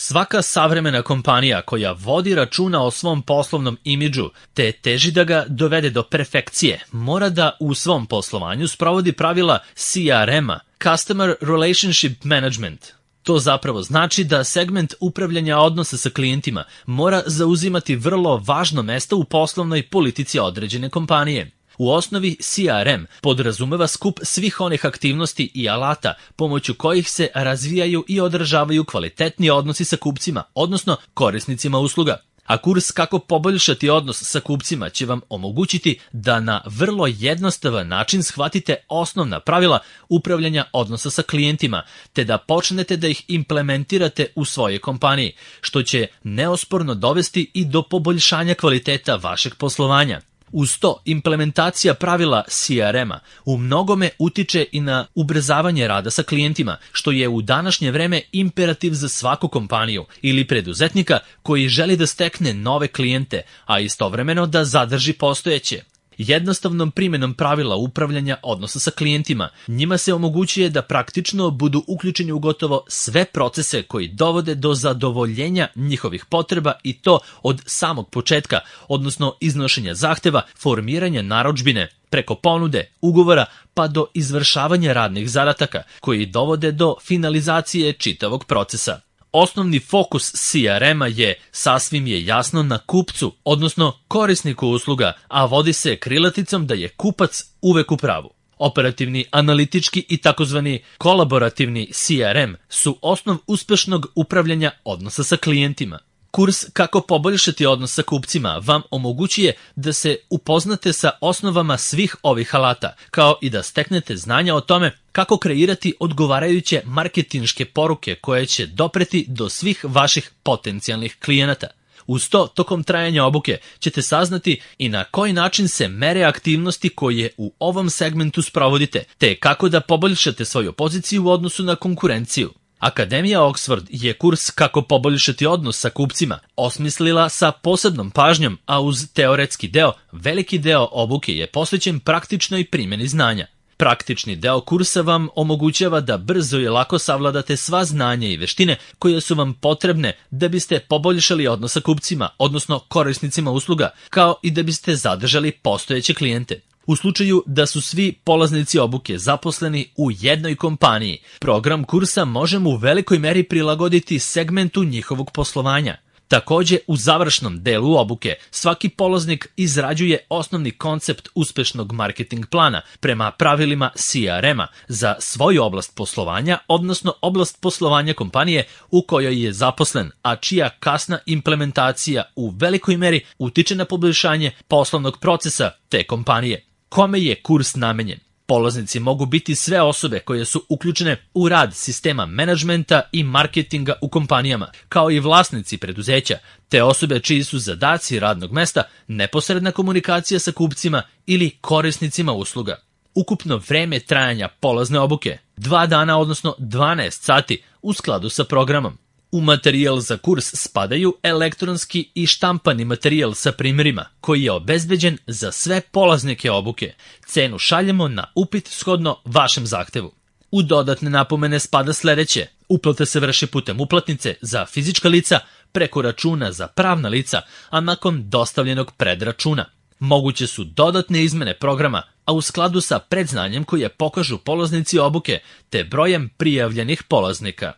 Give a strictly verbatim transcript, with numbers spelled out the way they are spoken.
Svaka savremena kompanija koja vodi računa o svom poslovnom imidžu te teži da ga dovede do perfekcije, mora da u svom poslovanju sprovodi pravila C R M-a, Customer Relationship Management. To zapravo znači da segment upravljanja odnosa sa klijentima mora zauzimati vrlo važno mesto u poslovnoj politici određene kompanije. U osnovi C R M podrazumeva skup svih onih aktivnosti i alata pomoću kojih se razvijaju i održavaju kvalitetni odnosi sa kupcima, odnosno korisnicima usluga. A kurs Kako poboljšati odnos sa kupcima će vam omogućiti da na vrlo jednostavan način shvatite osnovna pravila upravljanja odnosa sa klijentima, te da počnete da ih implementirate u svojoj kompaniji, što će neosporno dovesti i do poboljšanja kvaliteta vašeg poslovanja. Uz to, implementacija pravila C R M-a u mnogome utiče i na ubrzavanje rada sa klijentima, što je u današnje vreme imperativ za svaku kompaniju ili preduzetnika koji želi da stekne nove klijente, a istovremeno da zadrži postojeće. Jednostavnom primjenom pravila upravljanja odnosa sa klijentima, njima se omogućuje da praktično budu uključeni u gotovo sve procese koji dovode do zadovoljenja njihovih potreba i to od samog početka, odnosno iznošenja zahteva, formiranja narudžbine, preko ponude, ugovora pa do izvršavanja radnih zadataka koji dovode do finalizacije čitavog procesa. Osnovni fokus C R M-a je, sasvim je jasno, na kupcu, odnosno korisniku usluga, a vodi se krilaticom da je kupac uvek u pravu. Operativni, analitički i takozvani kolaborativni C R M su osnov uspešnog upravljanja odnosa sa klijentima. Kurs Kako poboljšati odnos sa kupcima vam omogućuje da se upoznate sa osnovama svih ovih alata, kao i da steknete znanja o tome kako kreirati odgovarajuće marketinške poruke koje će dopreti do svih vaših potencijalnih klijenata. Uz to, tokom trajanja obuke ćete saznati i na koji način se mere aktivnosti koje u ovom segmentu sprovodite, te kako da poboljšate svoju poziciju u odnosu na konkurenciju. Akademija Oxford je kurs Kako poboljšati odnos sa kupcima osmislila sa posebnom pažnjom, a uz teoretski deo, veliki deo obuke je posvećen praktičnoj primjeni znanja. Praktični deo kursa vam omogućava da brzo i lako savladate sva znanja i veštine koje su vam potrebne da biste poboljšali odnos sa kupcima, odnosno korisnicima usluga, kao i da biste zadržali postojeće klijente. U slučaju da su svi polaznici obuke zaposleni u jednoj kompaniji, program kursa možemo u velikoj meri prilagoditi segmentu njihovog poslovanja. Takođe, u završnom delu obuke svaki polaznik izrađuje osnovni koncept uspešnog marketing plana prema pravilima C R M-a za svoju oblast poslovanja, odnosno oblast poslovanja kompanije u kojoj je zaposlen, a čija kasna implementacija u velikoj meri utiče na poboljšanje poslovnog procesa te kompanije. Kome je kurs namenjen? Polaznici mogu biti sve osobe koje su uključene u rad sistema menadžmenta i marketinga u kompanijama, kao i vlasnici preduzeća, te osobe čiji su zadaci radnog mesta neposredna komunikacija sa kupcima ili korisnicima usluga. Ukupno vreme trajanja polazne obuke, dva dana odnosno dvanaest sati u skladu sa programom. U materijal za kurs spadaju elektronski i štampani materijal sa primjerima, koji je obezbeđen za sve polaznike obuke. Cenu šaljemo na upit shodno vašem zahtevu. U dodatne napomene spada sledeće. Uplata se vrši putem uplatnice za fizička lica, preko računa za pravna lica, a nakon dostavljenog predračuna. Moguće su dodatne izmene programa, a u skladu sa predznanjem koje pokažu polaznici obuke, te brojem prijavljenih polaznika.